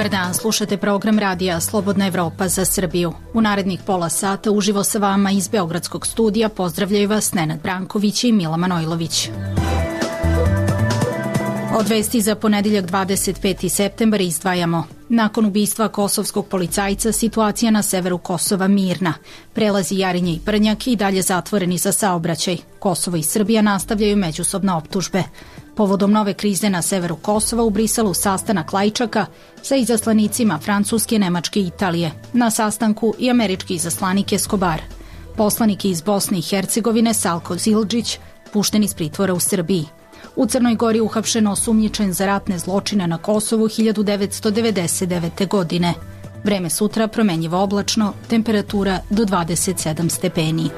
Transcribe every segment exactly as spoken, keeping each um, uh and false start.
Dobar dan, slušate program radija Slobodna Evropa za Srbiju. U narednih pola sata uživo sa vama iz Beogradskog studija pozdravljaju vas Nenad Branković i Mila Manojlović. Od vesti za ponedeljak dvadeset peti septembar izdvajamo. Nakon ubistva kosovskog policajca situacija na severu Kosova mirna. Prelazi Jarinje i Brnjak i dalje zatvoreni za saobraćaj. Kosovo i Srbija nastavljaju međusobne optužbe. Povodom nove krize na severu Kosova u Briselu sastanak Lajčaka sa izaslanicima Francuske, Nemačke i Italije. Na sastanku i američki izaslanik Escobar. Poslanik iz Bosne i Hercegovine Salko Zildžić pušten iz pritvora u Srbiji. U Crnoj Gori uhapšen osumnjičen za ratne zločine na Kosovu hiljadu devetsto devedeset devete. godine. Vreme sutra promenjivo oblačno, temperatura do dvadeset sedam stepeni.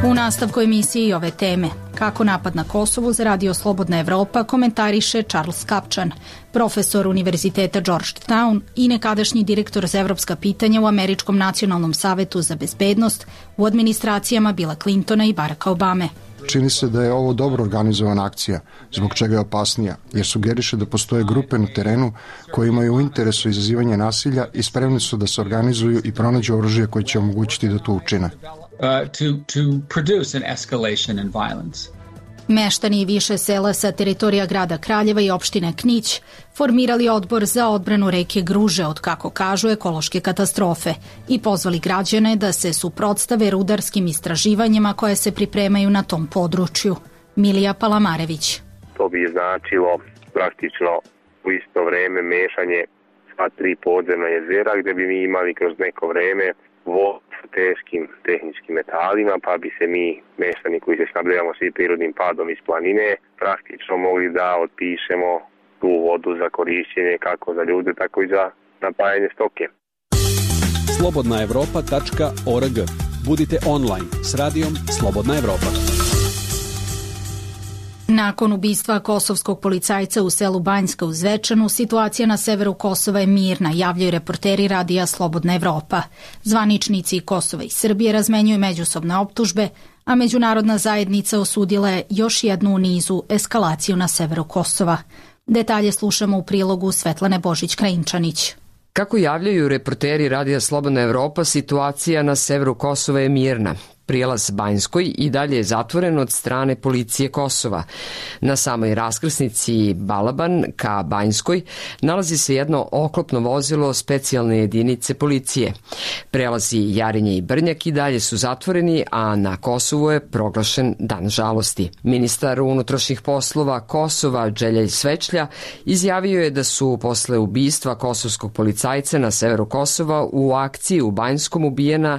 U nastavku emisije i ove teme. Kako napad na Kosovu za radio Slobodna Evropa komentariše Charles Kapčan, profesor Univerziteta Georgetown i nekadašnji direktor za evropska pitanja u Američkom nacionalnom savetu za bezbednost u administracijama Billa Clintona i Baracka Obame. Čini se da je ovo dobro organizovana akcija, zbog čega je opasnija, jer sugeriše da postoje grupe na terenu koje imaju u interesu izazivanja nasilja i spremni su da se organizuju i pronađu oružje koje će omogućiti da to učine. Uh, to, to produce an escalation in violence. Meštani više sela sa teritorija grada Kraljeva i opštine Knić formirali odbor za odbranu reke Gruže od, kako kažu, ekološke katastrofe i pozvali građane da se suprotstave rudarskim istraživanjima koje se pripremaju na tom području. Milija Palamarević. To bi značilo praktično u isto vreme mešanje sva tri podzemna jezera gde bi mi imali kroz neko vreme vodu sa teškim tehničkim metalima, pa bi se mi, meštani koji se snabdevamo svi prirodnim padom iz planine, praktično mogli da otpišemo tu vodu za korišćenje kako za ljude, tako i za napajanje stoke. slobodna evropa tačka org. Budite online s radijom Slobodna Evropa. Nakon ubistva kosovskog policajca u selu Banjska u Zvečanu, situacija na severu Kosova je mirna, javljaju reporteri radija Slobodna Evropa. Zvaničnici Kosova i Srbije razmenjuju međusobne optužbe, a međunarodna zajednica osudila je još jednu u nizu eskalaciju na severu Kosova. Detalje slušamo u prilogu Svetlane Božić-Krajinčanić. Kako javljaju reporteri radija Slobodna Evropa, situacija na severu Kosova je mirna. Prijelaz Banjskoj i dalje je zatvoren od strane policije Kosova. Na samoj raskrsnici Balaban ka Banjskoj nalazi se jedno oklopno vozilo specijalne jedinice policije. Prelazi Jarinje i Brnjak i dalje su zatvoreni, a na Kosovu je proglašen dan žalosti. Ministar unutrašnjih poslova Kosova Đeljaj Svečlja izjavio je da su posle ubistva kosovskog policajca na severu Kosova u akciji u Banjskom ubijena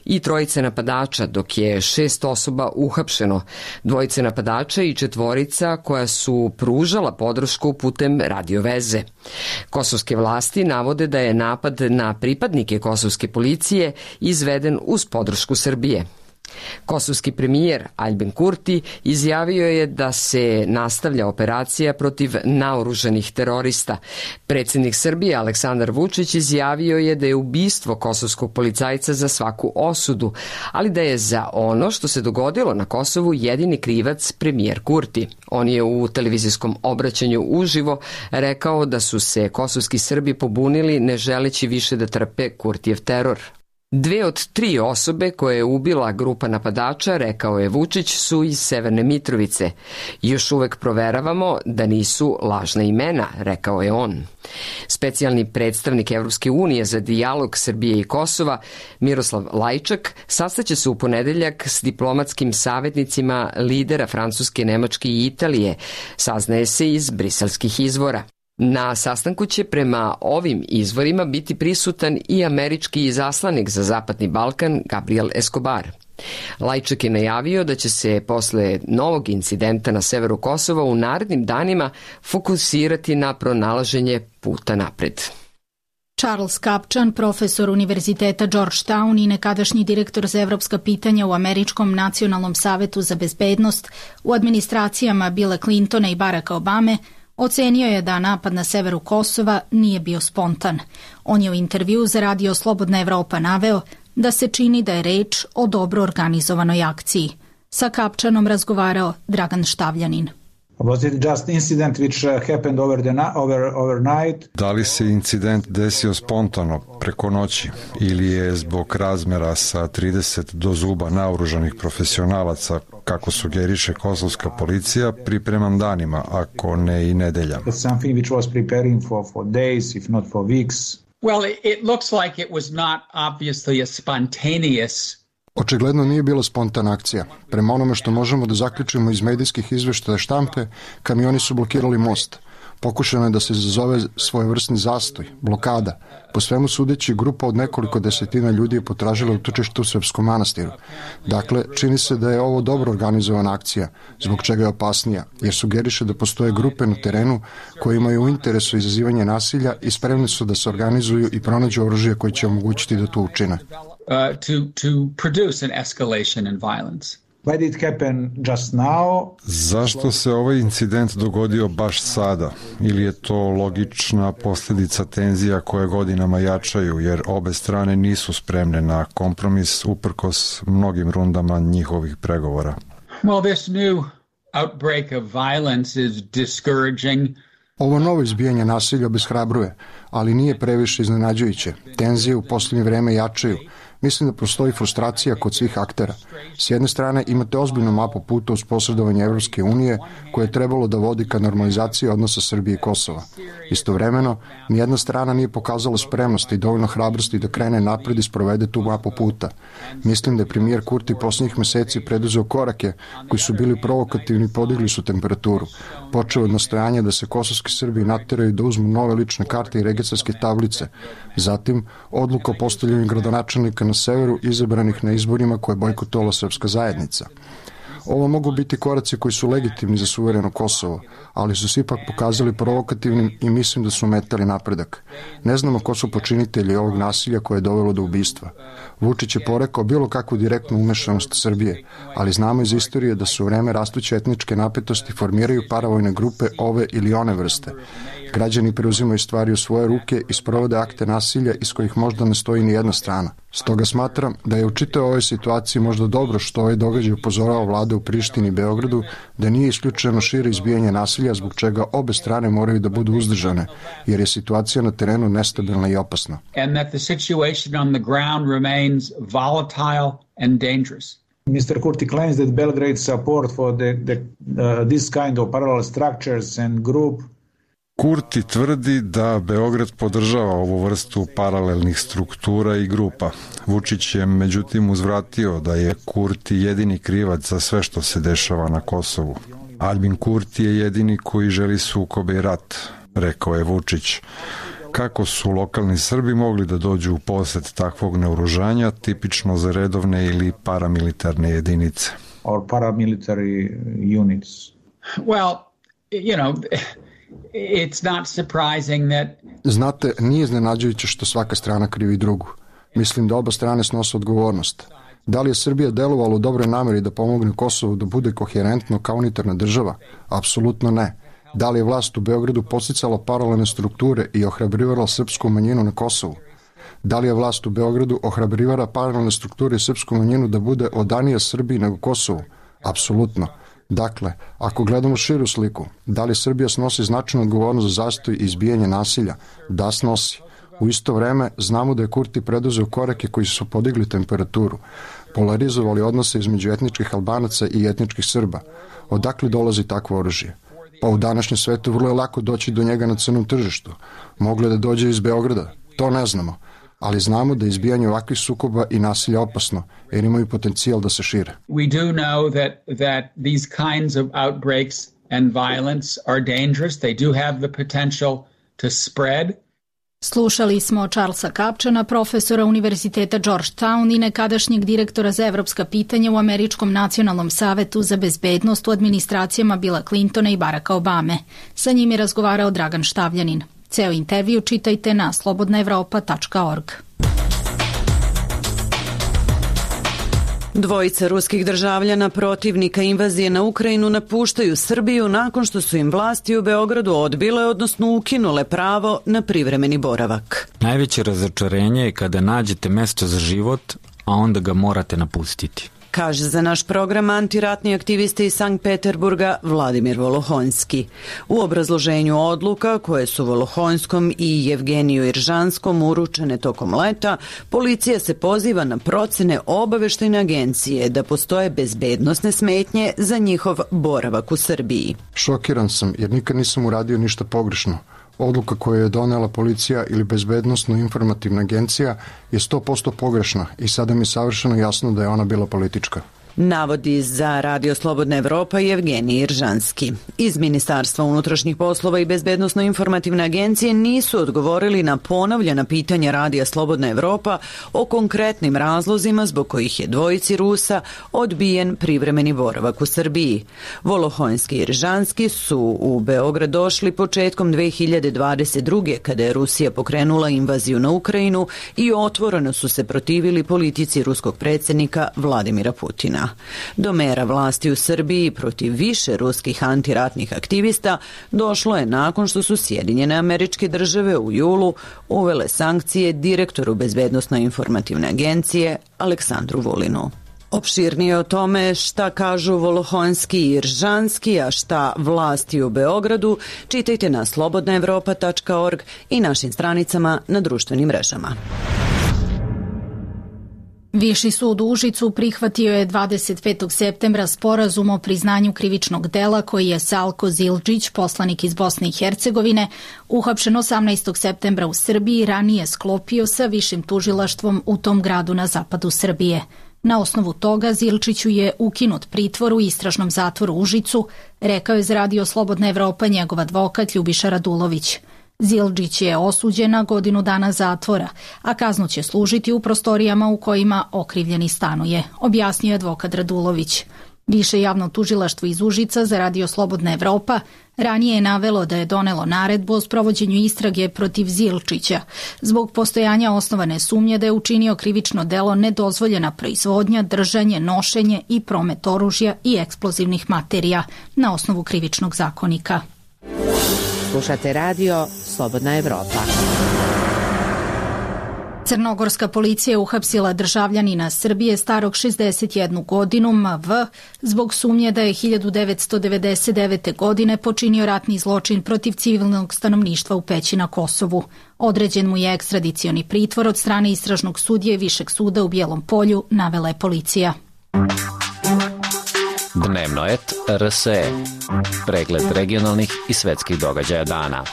i trojice napadača, dok je šest osoba uhapšeno, dvojice napadača i četvorica koja su pružala podršku putem radioveze. Kosovske vlasti navode da je napad na pripadnike kosovske policije izveden uz podršku Srbije. Kosovski premijer Aljbin Kurti izjavio je da se nastavlja operacija protiv naoružanih terorista. Predsjednik Srbije Aleksandar Vučić izjavio je da je ubistvo kosovskog policajca za svaku osudu, ali da je za ono što se dogodilo na Kosovu jedini krivac premijer Kurti. On je u televizijskom obraćanju uživo rekao da su se kosovski Srbi pobunili ne želeći više da trpe Kurtijev teror. Dve od tri osobe koje je ubila grupa napadača, rekao je Vučić, su iz Severne Mitrovice. Još uvek proveravamo da nisu lažna imena, rekao je on. Specijalni predstavnik Evropske unije za dijalog Srbije i Kosova, Miroslav Lajčak, sastaće se u ponedeljak s diplomatskim savjetnicima lidera Francuske, Nemačke i Italije, saznaje se iz briselskih izvora. Na sastanku će prema ovim izvorima biti prisutan i američki izaslanik za Zapadni Balkan Gabriel Escobar. Lajčak je najavio da će se posle novog incidenta na severu Kosova u narednim danima fokusirati na pronalaženje puta napred. Charles Kapčan, profesor Univerziteta Georgetown i nekadašnji direktor za evropska pitanja u Američkom nacionalnom savetu za bezbednost u administracijama Billa Clintona i Baracka Obame, ocenio je da napad na severu Kosova nije bio spontan. On je u intervju za radio Slobodna Evropa naveo da se čini da je reč o dobro organizovanoj akciji. Sa Kapčanom razgovarao Dragan Štavljanin. Was it just incident which uh, happened over the over overnight? Da li se incident desio spontano preko noći ili je zbog razmera sa trideset do zuba naoružanih profesionalaca, kako sugeriše kosovska policija, pripreman danima, ako ne i nedeljama? It's something which was preparing for for days, if not for weeks. Well, it, it looks like it was not obviously a spontaneous. Očigledno nije bila spontana akcija. Prema onome što možemo da zaključimo iz medijskih izveštaja štampe, kamioni su blokirali most. Pokušano je da se izazove svojevrsni zastoj, blokada. Po svemu sudeći, grupa od nekoliko desetina ljudi je potražila utočište u Srpskom manastiru. Dakle, čini se da je ovo dobro organizovana akcija, zbog čega je opasnija, jer sugeriše da postoje grupe na terenu koje imaju u interesu izazivanje nasilja i spremni su da se organizuju i pronađu oružje koje će omogućiti da to učine. Uh, to, to produce an escalation in violence. Why did it happen just now? Zašto se ovaj incident dogodio baš sada? Ili je to logična posljedica tenzija koje godinama jačaju, jer obe strane nisu spremne na kompromis uprkos mnogim rundama njihovih pregovora? Well, this new outbreak of violence is discouraging. Ovo novo izbijanje nasilja obeshrabruje, ali nije previše iznenađujuće. Tenzije u posljednje vreme jačaju. Mislim da postoji frustracija kod svih aktera. S jedne strane imate ozbiljnu mapu puta uz posredovanje Evropske unije koje je trebalo da vodi ka normalizaciji odnosa Srbije i Kosova. Istovremeno, nijedna strana nije pokazala spremnost i dovoljno hrabrosti da krene napred i sprovede tu mapu puta. Mislim da je premijer Kurti posljednjih meseci preduzeo korake koji su bili provokativni i podigli su temperaturu. Počeo od nastojanja da se kosovski Srbi nateraju da uzmu nove lične karte i registarske tablice. Zatim, odluka o postavljanju gradonačelnika na severu izabranih na izborima koje je bojkotovala srpska zajednica. Ovo mogu biti koraci koji su legitimni za suvereno Kosovo, ali su se ipak pokazali provokativnim i mislim da su metali napredak. Ne znamo ko su počinitelji ovog nasilja koje je dovelo do ubistva. Vučić je porekao bilo kakvu direktnu umešanost Srbije, ali znamo iz istorije da su u vreme rastuće etničke napetosti formiraju paravojne grupe ove ili one vrste. Građani preuzimaju stvari u svoje ruke i sprovode akte nasilja iz kojih možda ne stoji ni jedna strana. Stoga smatram da je u čitavoj ovoj situaciji možda dobro što ovaj događaj upozorava vlade u Prištini i Beogradu da nije isključeno šire izbijanje nasilja zbog čega obe strane moraju da budu uzdržane, jer je situacija na terenu nestabilna i opasna. And that the situation on the ground remains volatile and dangerous. mister Kurti claims that Belgrade support for the, the, uh, this kind of parallel structures and group. Kurti tvrdi da Beograd podržava ovu vrstu paralelnih struktura i grupa. Vučić je međutim uzvratio da je Kurti jedini krivac za sve što se dešava na Kosovu. Albin Kurti je jedini koji želi sukobe i rat, rekao je Vučić. Kako su lokalni Srbi mogli da dođu u posed takvog naoružanja, tipično za redovne ili paramilitarne jedinice? Or paramilitary units. Well, you know, it's not surprising that... Znate, nije iznenađujuće što svaka strana krivi drugu. Mislim da oba strane snose odgovornost. Da li je Srbija delovala u dobroj nameri da pomogne Kosovu da bude koherentno kao unitarna država? Apsolutno ne. Da li je vlast u Beogradu podsticala paralelne strukture i ohrabrivala srpsku manjinu na Kosovu? Da li je vlast u Beogradu ohrabrivala paralelne strukture i srpsku manjinu da bude odanija Srbiji nego Kosovu? Apsolutno. Dakle, ako gledamo širu sliku, da li Srbija snosi značajnu odgovornost za zastoj i izbijanje nasilja? Da, snosi. U isto vreme znamo da je Kurti preduzeo korake koji su podigli temperaturu, polarizovali odnose između etničkih Albanaca i etničkih Srba. Odakle dolazi takvo oružje? Pa u današnjem svetu vrlo je lako doći do njega na crnom tržištu. Moglo je da dođe iz Beograda, to ne znamo. Ali znamo da je izbijanje ovakvih sukoba i nasilja opasno, jer imaju potencijal da se šire. We do know that, that these kinds of outbreaks and violence are dangerous. They do have the potential to spread. Slušali smo Charlesa Kapčana, profesora Univerziteta Georgetown i nekadašnjeg direktora za evropska pitanja u Američkom nacionalnom savetu za bezbednost u administracijama Billa Clintona i Baracka Obame. Sa njim je razgovarao Dragan Štavljanin. Ceo intervju čitajte na slobodna evropa tačka org. Dvojica ruskih državljana protivnika invazije na Ukrajinu napuštaju Srbiju nakon što su im vlasti u Beogradu odbile, odnosno ukinule pravo na privremeni boravak. Najveće razočarenje je kada nađete mesto za život, a onda ga morate napustiti. kaže za naš program antiratni aktivista iz Sankt Peterburga Vladimir Volohonski. U obrazloženju odluka koje su Volohonskom i Jevgeniju Iržanskom uručene tokom leta, policija se poziva na procene obaveštajne agencije da postoje bezbednosne smetnje za njihov boravak u Srbiji. Šokiran sam jer nikad nisam uradio ništa pogrešno. Odluka koju je donela policija ili bezbednosno-informativna agencija je sto posto pogrešna i sada mi je savršeno jasno da je ona bila politička. Navodi za Radio Slobodna Evropa Jevgenij Iržanski. Iz Ministarstva unutrašnjih poslova i Bezbednosno-informativne agencije nisu odgovorili na ponovljena pitanja Radija Slobodna Evropa o konkretnim razlozima zbog kojih je dvojici Rusa odbijen privremeni boravak u Srbiji. Volohonski i Iržanski su u Beograd došli početkom dve hiljade dvadeset druge. kada je Rusija pokrenula invaziju na Ukrajinu i otvoreno su se protivili politici ruskog predsjednika Vladimira Putina. Do mera vlasti u Srbiji protiv više ruskih antiratnih aktivista došlo je nakon što su Sjedinjene Američke Države u julu uvele sankcije direktoru Bezbednosno-informativne agencije Aleksandru Vulinu. Opširnije o tome šta kažu Volohonski i Iržanski, a šta vlasti u Beogradu, čitajte na slobodna evropa tačka org i našim stranicama na društvenim mrežama. Viši sud u Užicu prihvatio je dvadeset petog septembra sporazum o priznanju krivičnog dela koji je Salko Zildžić, poslanik iz Bosne i Hercegovine, uhapšen osamnaestog septembra u Srbiji, ranije sklopio sa višim tužilaštvom u tom gradu na zapadu Srbije. Na osnovu toga Zildžiću je ukinut pritvor u istražnom zatvoru u Užicu, rekao je za Radio Slobodna Evropa njegov advokat Ljubiša Radulović. Zildžić je osuđen na godinu dana zatvora, a kaznu će služiti u prostorijama u kojima okrivljeni stanuje, objasnio je advokat Radulović. Više javno tužilaštvo iz Užica za Radio Slobodna Evropa ranije je navelo da je donelo naredbu o sprovođenju istrage protiv Zildžića zbog postojanja osnovane sumnje da je učinio krivično delo nedozvoljena proizvodnja, držanje, nošenje i promet oružja i eksplozivnih materija na osnovu krivičnog zakonika. Slušate Radio Slobodna Evropa. Crnogorska policija je uhapsila državljanina Srbije starog šezdeset jednu godinu M V zbog sumnje da je hiljadu devetsto devedeset devete. godine počinio ratni zločin protiv civilnog stanovništva u Peći na Kosovu. Određen mu je ekstradicioni pritvor od strane istražnog sudije Višeg suda u Bijelom Polju, navela je policija. Dnevnoet R S E. Pregled regionalnih i svetskih događaja dana.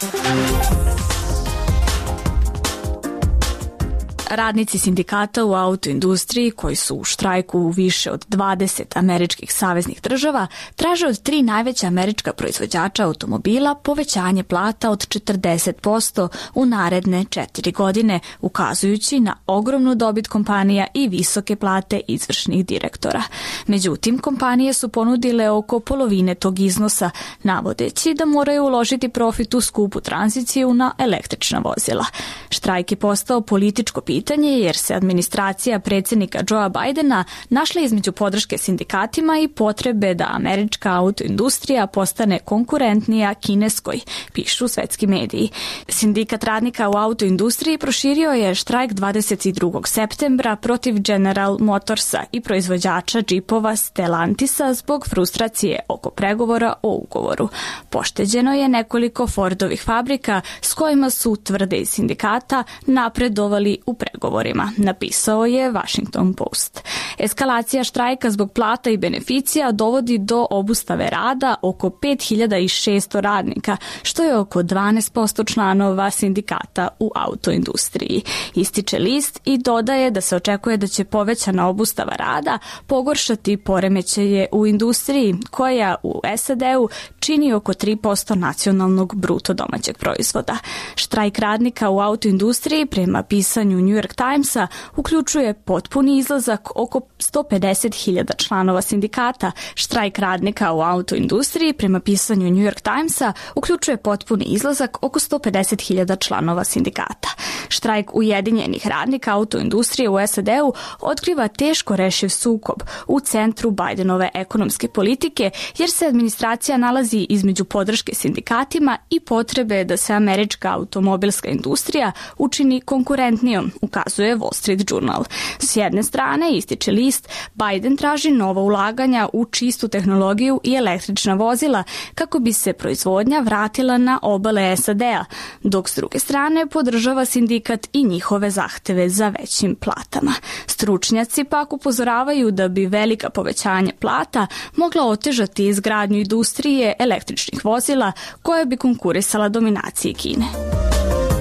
Radnici sindikata u autoindustriji, koji su u štrajku u više od dvadeset američkih saveznih država, traže od tri najveća američka proizvođača automobila povećanje plata od četrdeset posto u naredne četiri godine, ukazujući na ogromnu dobit kompanija i visoke plate izvršnih direktora. Međutim, kompanije su ponudile oko polovine tog iznosa, navodeći da moraju uložiti profit u skupu tranziciju na električna vozila. Štrajk je postao političko pitanje jer se administracija predsjednika Joea Bidena našla između podrške sindikatima i potrebe da američka autoindustrija postane konkurentnija kineskoj, pišu svetski mediji. Sindikat radnika u autoindustriji proširio je štrajk dvadeset drugog septembra protiv General Motorsa i proizvođača džipova Stellantisa zbog frustracije oko pregovora o ugovoru. Pošteđeno je nekoliko Fordovih fabrika s kojima su, tvrde iz sindikata, napredovali u pregovorima, napisao je Washington Post. Eskalacija štrajka zbog plata i beneficija dovodi do obustave rada oko pet hiljada šesto radnika, što je oko dvanaest posto članova sindikata u autoindustriji. Ističe list i dodaje da se očekuje da će povećana obustava rada pogoršati poremećaje u industriji, koja u S A D-u čini oko tri posto nacionalnog bruto domaćeg proizvoda. Štrajk radnika u autoindustriji, prema pisanju New York Timesa, uključuje potpuni izlazak oko sto pedeset hiljada članova sindikata. Štrajk radnika u autoindustriji, prema pisanju New York Timesa, uključuje potpuni izlazak oko sto pedeset hiljada članova sindikata. Štrajk ujedinjenih radnika autoindustrije u S A D-u otkriva teško rešiv sukob u centru Bidenove ekonomske politike, jer se administracija nalazi između podrške sindikatima i potrebe da se američka automobilska industrija učini konkurentnijom, ukazuje Wall Street Journal. S jedne strane, ističe list, Biden traži nova ulaganja u čistu tehnologiju i električna vozila kako bi se proizvodnja vratila na obale S A D-a, dok s druge strane podržava sindikat i njihove zahteve za većim platama. Stručnjaci pak upozoravaju da bi velika povećanja plata mogla otežati izgradnju industrije električnih vozila koja bi konkurisala dominaciji Kine.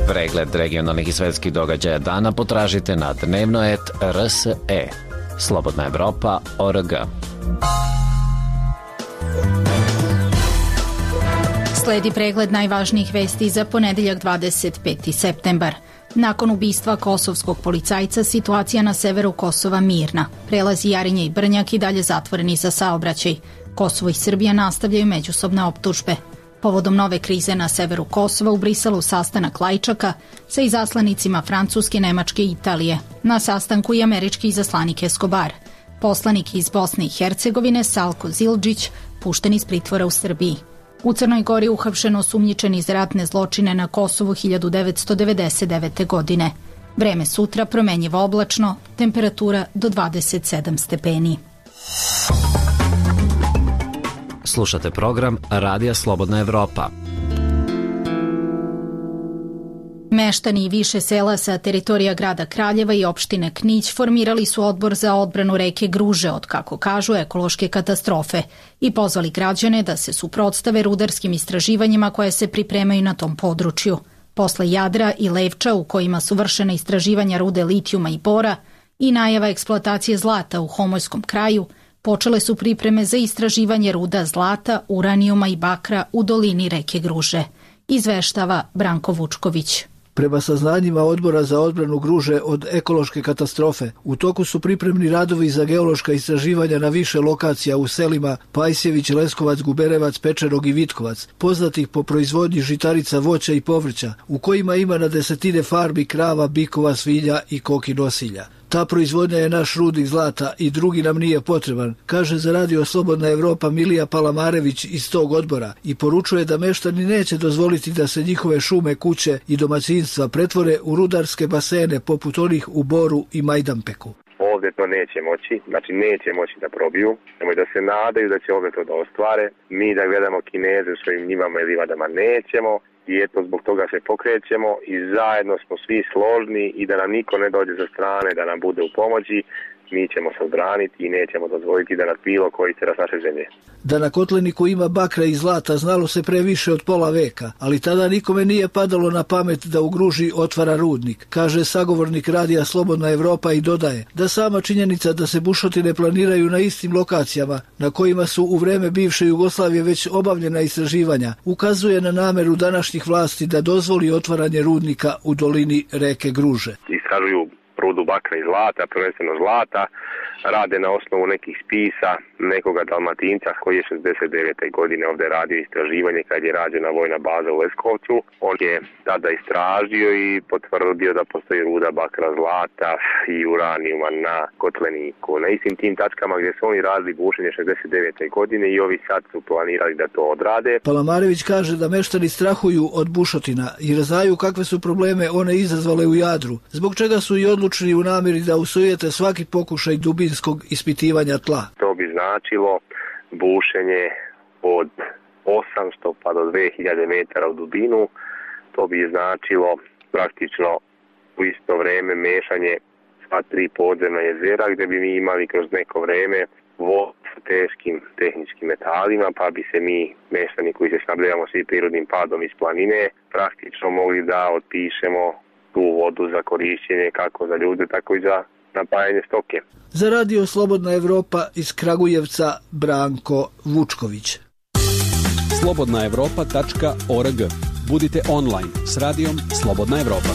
Pregled regionalnih i svetskih događaja dana potražite na dnevnoet R S E. Slobodna Evropa O R G. Sledi pregled najvažnijih vesti za ponedeljak dvadeset peti septembar. Nakon ubistva kosovskog policajca, situacija na severu Kosova mirna. Prelazi Jarinje i Brnjak i dalje zatvoreni za saobraćaj. Kosovo i Srbija nastavljaju međusobne optužbe. Povodom nove krize na severu Kosova u Briselu sastanak Lajčaka sa izaslanicima Francuske, Nemačke i Italije. Na sastanku i američki izaslanik Escobar. Poslanik iz Bosne i Hercegovine Salko Zildžić pušten iz pritvora u Srbiji. U Crnoj Gori uhapšen osumnjičen za ratne zločine na Kosovu hiljadu devetsto devedeset devete. godine. Vreme sutra promenjivo oblačno, temperatura do dvadeset sedam stepeni. Slušate program Radija Slobodna Evropa. Meštani više sela sa teritorija grada Kraljeva i opštine Knić formirali su odbor za odbranu reke Gruže od, kako kažu, ekološke katastrofe i pozvali građane da se suprotstave rudarskim istraživanjima koje se pripremaju na tom području. Posle Jadra i Levča, u kojima su vršena istraživanja rude litijuma i bora i najava eksploatacije zlata u Homojskom kraju, počele su pripreme za istraživanje ruda zlata, uranijuma i bakra u dolini reke Gruže. Izveštava Branko Vučković. Prema saznanjima Odbora za odbranu Gruže od ekološke katastrofe, u toku su pripremni radovi za geološka istraživanja na više lokacija u selima Pajsjević, Leskovac, Guberevac, Pečerog i Vitkovac, poznatih po proizvodnji žitarica, voća i povrća, u kojima ima na desetine farmi krava, bikova, svinja i koki nosilja. Ta proizvodnja je naš rudnik zlata i drugi nam nije potreban, kaže za Radio Slobodna Evropa Milija Palamarević iz tog odbora i poručuje da meštani neće dozvoliti da se njihove šume, kuće i domaćinstva pretvore u rudarske basene poput onih u Boru i Majdanpeku. Ovdje to neće moći, znači neće moći da probiju, nemoj da se nadaju da će ovdje to da ostvare. Mi da gledamo Kineze u svojim njivama i livadama nećemo. I eto, zbog toga se pokrećemo i zajedno smo svi složni i da nam niko ne dođe sa strane, da nam bude u pomoći, mi ćemo se odbraniti i nećemo dozvoliti da nas bilo koji se raz naše zemlje. Da na Kotleniku ima bakra i zlata znalo se pre više od pola veka, ali tada nikome nije padalo na pamet da u Gruži otvara rudnik, kaže sagovornik Radija Slobodna Evropa i dodaje da sama činjenica da se bušotine planiraju na istim lokacijama na kojima su u vreme bivše Jugoslavije već obavljena istraživanja, ukazuje na nameru današnjih vlasti da dozvoli otvaranje rudnika u dolini reke Gruže. Istražuju rudu bakra i zlata, prvenstveno zlata, rade na osnovu nekih spisa nekoga Dalmatinca koji je šezdeset devete. godine ovdje radio istraživanje kad je rađena vojna baza u Leskovcu. On je tada istražio i potvrdio da postoji ruda bakra, zlata i uranijuma na Kotleniku. Na istim tim tačkama gdje su oni radili bušenje šezdeset devete. godine i ovi sad su planirali da to odrade. Palamarević kaže da meštani strahuju od bušotina jer znaju kakve su probleme one izazvale u Jadru, zbog čega su i odlučni u namjeri da usujete svaki pokušaj dubinskog ispitivanja tla. To bi značilo bušenje od osamsto pa do dve hiljade metara u dubinu. To bi značilo praktično u isto vrijeme mešanje sva tri podzemna jezera gdje bi mi imali kroz neko vrijeme vodu sa teškim tehničkim metalima, pa bi se mi, meštani koji se snabdevamo svi prirodnim padom iz planine, praktično mogli da otpišemo tu vodu za korišćenje kako za ljude, tako i za napajanje stoke. Za Radio Slobodna Evropa iz Kragujevca Branko Vučković. slobodna evropa tačka org. Budite online s radijom Slobodna Evropa.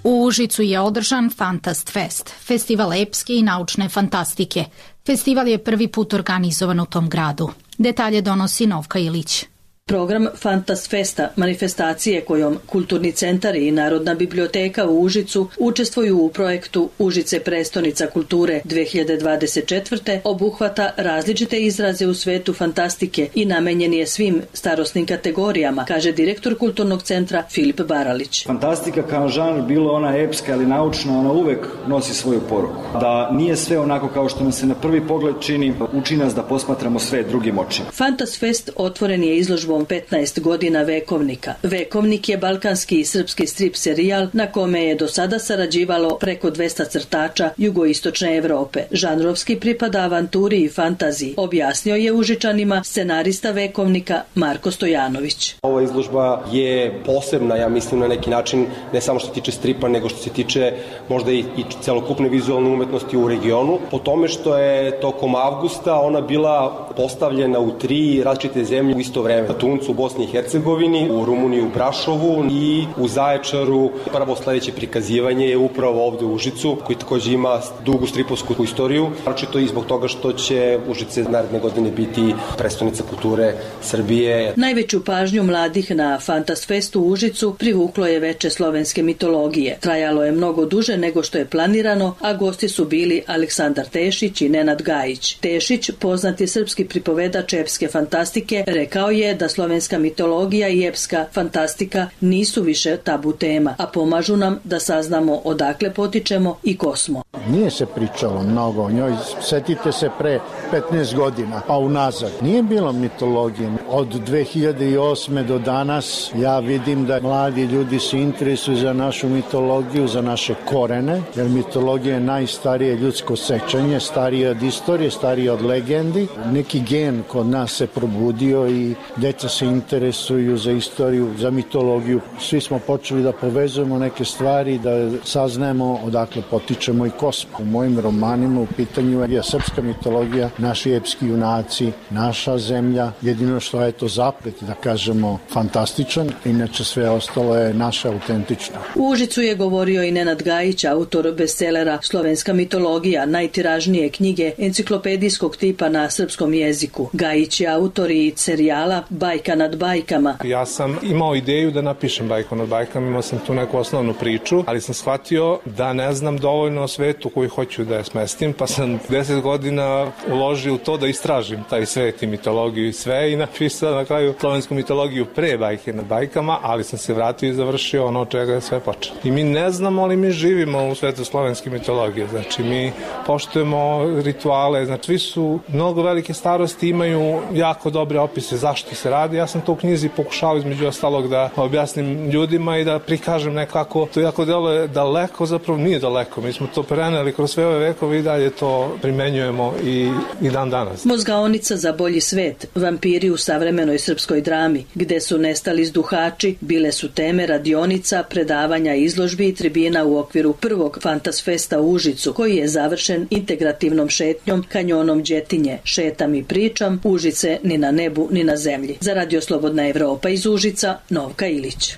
U Užicu je održan Fantast Fest, festival epske i naučne fantastike. Festival je prvi put organizovan u tom gradu. Detalje donosi Novka Ilić. Program Fantas Festa, manifestacije kojom Kulturni centar i Narodna biblioteka u Užicu učestvuju u projektu Užice prestonica kulture dve hiljade dvadeset četvrte. obuhvata različite izraze u svetu fantastike i namenjen je svim starosnim kategorijama, kaže direktor Kulturnog centra Filip Baralić. Fantastika kao žanr, bilo ona epska ili naučna, ona uvek nosi svoju poruku. Da nije sve onako kao što nam se na prvi pogled čini, uči nas da posmatramo sve drugim očima. Fantas Fest otvoren je izložbom petnaest godina Vekovnika. Vekovnik je balkanski i srpski strip serijal na kome je do sada sarađivalo preko dvesta crtača jugoistočne Evrope. Žanrovski pripada avanturi i fantaziji, objasnio je Užičanima scenarista Vekovnika Marko Stojanović. Ova izložba je posebna, ja mislim, na neki način, ne samo što se tiče stripa, nego što se tiče možda i, i celokupne vizualne umetnosti u regionu, po tome što je tokom avgusta ona bila postavljena u tri različite zemlje u isto vreme. Na Tuncu u Bosni i Hercegovini, u Rumuniji u Brašovu i u Zaječaru. Prvo sledeće prikazivanje je upravo ovde u Užicu, koji takođe ima dugu stripovsku istoriju, naročito i zbog toga što će Užice naredne godine biti prestonica kulture Srbije. Najveću pažnju mladih na Fantas Festu u Užicu privuklo je veče slovenske mitologije. Trajalo je mnogo duže nego što je planirano, a gosti su bili Aleksandar Tešić i Nenad Gajić. Tešić, poznati srpski pripovedač epske fantastike, rekao je da slovenska mitologija i epska fantastika nisu više tabu tema, a pomažu nam da saznamo odakle potičemo i ko smo. Nije se pričalo mnogo o njoj, setite se pre petnaest godina, pa unazad. Nije bilo mitologije. Od dve hiljade osme do danas ja vidim da mladi ljudi se interesuju za našu mitologiju, za naše korene, jer mitologija je najstarije ljudsko sećanje, starije od istorije, starije od legendi. Neki gen kod nas se probudio i deca se interesuju za istoriju, za mitologiju. Svi smo počeli da povezujemo neke stvari, da saznajemo odakle potičemo i ko smo. U mojim romanima u pitanju je srpska mitologija, naši epski junaci, naša zemlja, jedino što je to zaplet, da kažemo, fantastičan, inače sve ostalo je naše autentično. U Užicu je govorio i Nenad Gajić, autor bestselera Slovenska mitologija, najtiražnije knjige enciklopedijskog tipa na srpskom jeziku. Gajić je autor i serijala Bajka nad bajkama. Ja sam imao ideju da napišem Bajku nad bajkama, imao sam tu neku osnovnu priču, ali sam shvatio da ne znam dovoljno o svetu koji hoću da je smestim, pa sam deset godina uložio u to da istražim taj svet i mitologiju i sve i napisao na kraju slovensku mitologiju pre Bajke nad bajkama, ali sam se vratio i završio ono od čega je sve počelo. I mi ne znamo, ali mi živimo u svetu slovenske mitologije, znači mi poštujemo rituale, znači svi su mnogo velike starosti, imaju jako dobre opise zašto se radi. Ja sam to u knjizi pokušao između ostalog da objasnim ljudima i da prikažem nekako, to jako deluje daleko, zapravo nije daleko, mi smo to preneli kroz sve ove vekove i dalje to primenjujemo i, i dan danas. Mozgaonica za bolji svet, vampiri u savremenoj srpskoj drami, gde su nestali zduhači, bile su teme radionica, predavanja, izložbi i tribina u okviru prvog Fantas Festa u Užicu, koji je završen integrativnom šetnjom kanjonom Đetinje. Šetam i pričam, Užice ni na nebu ni na zemlji. Za Radio Slobodna Evropa iz Užica, Novka Ilić.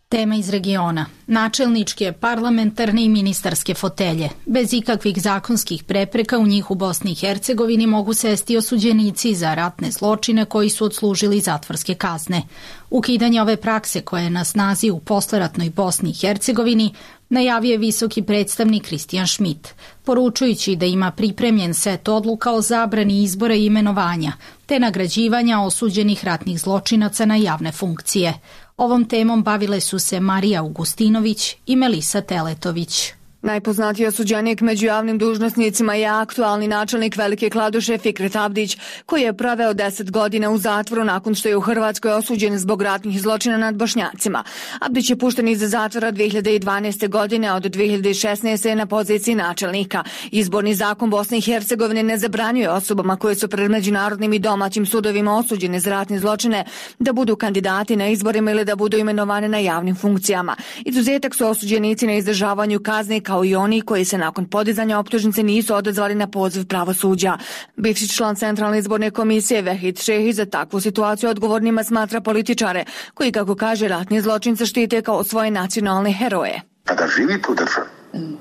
Tema iz regiona. Načelničke, parlamentarne i ministarske fotelje. Bez ikakvih zakonskih prepreka u njih u Bosni i Hercegovini mogu sesti osuđenici za ratne zločine koji su odslužili zatvorske kazne. Ukidanje ove prakse koja je na snazi u posleratnoj Bosni i Hercegovini najavio je visoki predstavnik Kristijan Šmit, poručujući da ima pripremljen set odluka o zabrani izbora i imenovanja, te nagrađivanja osuđenih ratnih zločinaca na javne funkcije. Ovom temom bavile su se Marija Augustinović i Melisa Teletović. Najpoznatiji osuđenik među javnim dužnosnicima je aktualni načelnik Velike Kladuše Fikret Abdić, koji je proveo deset godina u zatvoru nakon što je u Hrvatskoj osuđen zbog ratnih zločina nad Bošnjacima. Abdić je pušten iz zatvora dve hiljade dvanaeste. godine, a od dve hiljade šesnaeste. je na poziciji načelnika. Izborni zakon Bosne i Hercegovine ne zabranjuje osobama koje su pred međunarodnim i domaćim sudovima osuđene za ratne zločine da budu kandidati na izborima ili da budu imenovane na javnim funkcijama. Izuzetak su osuđenici na izdržavanju kazne kao i oni koji se nakon podizanja optužnice nisu odazvali na poziv pravosuđa. Bivši član Centralne izborne komisije Vehid Šehić za takvu situaciju odgovornima smatra političare, koji, kako kaže, ratni zločince štite kao svoje nacionalne heroje. Kada živite u državi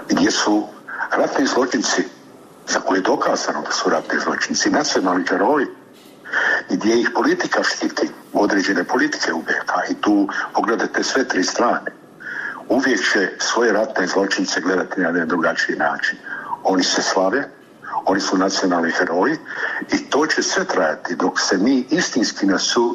gdje su ratni zločinci za koje je dokazano da su ratni zločinci, nacionalni heroji, i gdje ih politika štiti, određene politike u B H, i tu pogledajte sve tri strane. Uvijek će svoje ratne zločince gledati na jedan drugačiji način. Oni se slave, oni su nacionalni heroji i to će sve trajati dok se mi istinski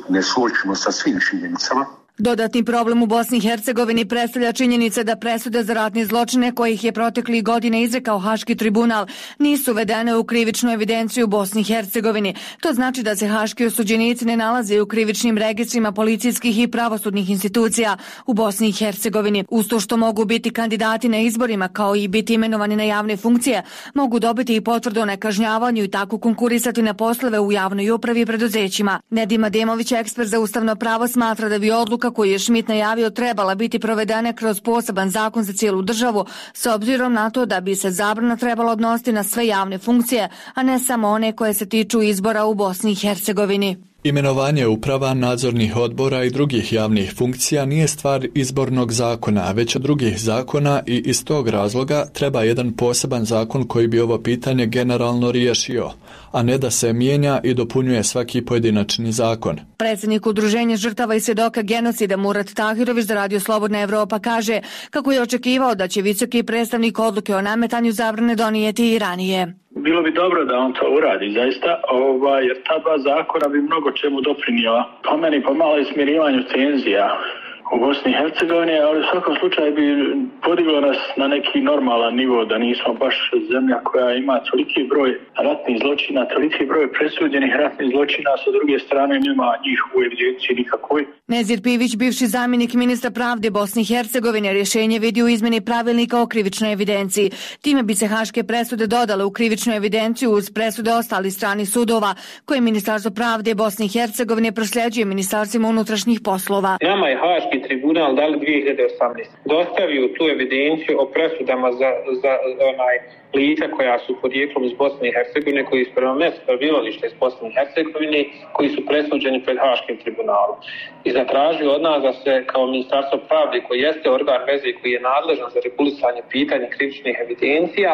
ne suočimo sa svim činjenicama. Dodatni problem u Bosni i Hercegovini predstavlja činjenica da presude za ratne zločine kojih je proteklih godine izrekao Haški tribunal nisu uvedene u krivičnu evidenciju u Bosni i Hercegovini. To znači da se haški osuđenici ne nalaze u krivičnim registrima policijskih i pravosudnih institucija u Bosni i Hercegovini. Uz to što mogu biti kandidati na izborima kao i biti imenovani na javne funkcije, mogu dobiti i potvrdu o nekažnjavanju i tako konkurisati na poslove u javnoj upravi i preduzećima. Nedim Ademović, ekspert za ustavno pravo, smatra da bi odluka koju je Schmidt najavio trebala biti provedena kroz poseban zakon za cijelu državu, s obzirom na to da bi se zabrana trebala odnositi na sve javne funkcije, a ne samo one koje se tiču izbora u Bosni i Hercegovini. Imenovanje uprava, nadzornih odbora i drugih javnih funkcija nije stvar izbornog zakona, već od drugih zakona, i iz tog razloga treba jedan poseban zakon koji bi ovo pitanje generalno riješio, a ne da se mijenja i dopunjuje svaki pojedinačni zakon. Predsjednik Udruženja žrtava i svjedoka genocida Murat Tahirović za Radio Slobodna Evropa kaže kako je očekivao da će visoki predstavnik odluke o nametanju zabrane donijeti i ranije. Bilo bi dobro da on to uradi, zaista, ovaj, jer ta dva zakona bi mnogo čemu doprinijela. Po meni pomalo i smirivanju tenzija u Bosni i Hercegovini, ali u svakom slučaju bi podiglo nas na neki normalan nivo, da nismo baš zemlja koja ima toliki broj ratnih zločina, toliki broj presuđenih ratnih zločina, sa druge strane nema njih u evidenciji nikakvoj. Nezir Pivić, bivši zamjenik ministra pravde Bosne i Hercegovine, rješenje vidi u izmjeni pravilnika o krivičnoj evidenciji. Time bi se haške presude dodale u krivičnu evidenciju uz presude ostalih stranih sudova, koje Ministarstvo pravde Bosne i Hercegovine prosljeđuje Ministarstvima unutrašnjih poslova. Nama je Haški tribunal dali dvije hiljade osamnaeste. Dostavio tu evidenciju o presudama za, za onaj lica koja su podrijetlom iz Bosne i Hercegovine, koji su prema mjestu prebivališta iz Bosne i Hercegovine, koji su presuđeni pred Haškim tribunalom. I zatražio od nas da se kao Ministarstvo pravde, koji jeste organ veze koji je nadležan za regulisanje pitanja krivičnih evidencija,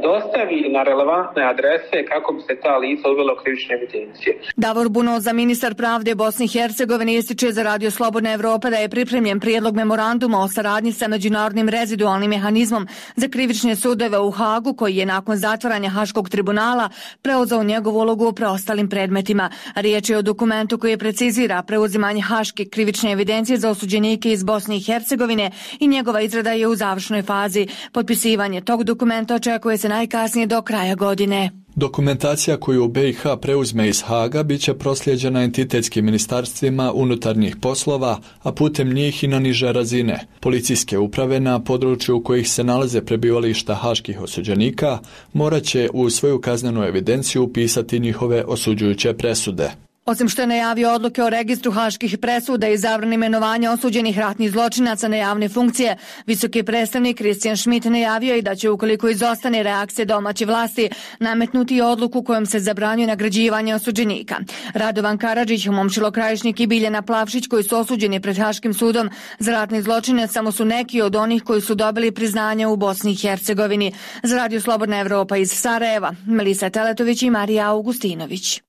dostavi na relevantne adrese kako bi se ta lica uvela u krivične evidencije. Davor Bunoza, ministar pravde Bosne i Hercegovine, ističe za Radio Slobodna Evropa da je pripremljen prijedlog memoranduma o saradnji sa međunarodnim rezidualnim mehanizmom za krivične sudove u Hagu, koji je nakon zatvaranja Haškog tribunala preuzeo njegovu ulogu u preostalim predmetima. Riječ je o dokumentu koji precizira preuzimanje haške krivične evidencije za osuđenike iz Bosne i Hercegovine i njegova izrada je u završnoj fazi. Potpisivanje tog dokumenta očekuje koje se najkasnije do kraja godine. Dokumentacija koju B i H preuzme iz Haga bit će proslijeđena entitetskim ministarstvima unutarnjih poslova, a putem njih i na niže razine. Policijske uprave na području u kojih se nalaze prebivališta haških osuđenika morat će u svoju kaznenu evidenciju upisati njihove osuđujuće presude. Osim što je najavio odluke o registru haških presuda i zabrani imenovanja osuđenih ratnih zločinaca na javne funkcije, visoki predstavnik Christian Schmidt najavio i da će, ukoliko izostane reakcije domaće vlasti, nametnuti odluku kojom se zabranjuje nagrađivanje osuđenika. Radovan Karadžić, Momčilo Krajišnik i Biljana Plavšić, koji su osuđeni pred Haškim sudom za ratne zločine, samo su neki od onih koji su dobili priznanje u Bosni i Hercegovini. Za Radio Slobodna Evropa iz Sarajeva, Melisa Teletović i Marija Augustinović.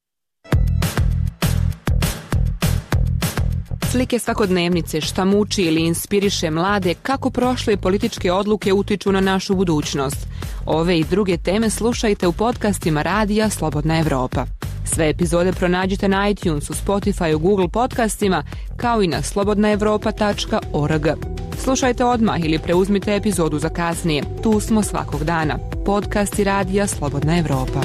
Slike svakodnevnice, šta muči ili inspiriše mlade, kako prošle političke odluke utiču na našu budućnost. Ove i druge teme slušajte u podcastima Radija Slobodna Evropa. Sve epizode pronađite na iTunesu, Spotifyu, Google podcastima, kao i na slobodna evropa tačka org. Slušajte odmah ili preuzmite epizodu za kasnije. Tu smo svakog dana. Podcasti Radija Slobodna Evropa.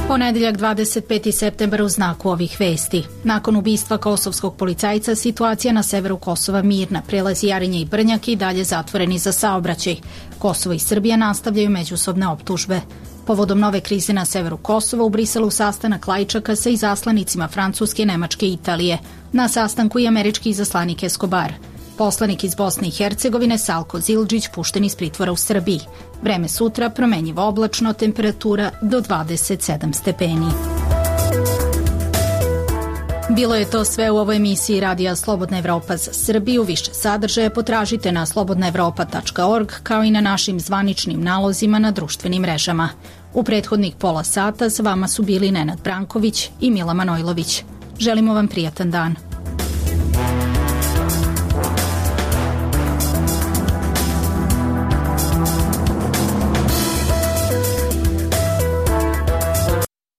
Ponedjeljak dvadeset peti septembar u znaku ovih vesti. Nakon ubistva kosovskog policajca, situacija na severu Kosova mirna. Prelazi Jarinje i Brnjak i dalje zatvoreni za saobraćaj. Kosovo i Srbija nastavljaju međusobne optužbe. Povodom nove krize na severu Kosova u Briselu sastanak Lajčaka sa izaslanicima Francuske, Nemačke i Italije. Na sastanku i američki izaslanik Escobar. Poslanik iz Bosne i Hercegovine Salko Zildžić pušten iz pritvora u Srbiji. Vreme sutra promenjivo oblačno, temperatura do dvadeset sedam stepeni. Bilo je to sve u ovoj emisiji Radija Slobodna Evropa za Srbiju. Više sadržaja potražite na slobodna evropa tačka org kao i na našim zvaničnim nalozima na društvenim mrežama. U prethodnih pola sata s vama su bili Nenad Branković i Mila Manojlović. Želimo vam prijatan dan.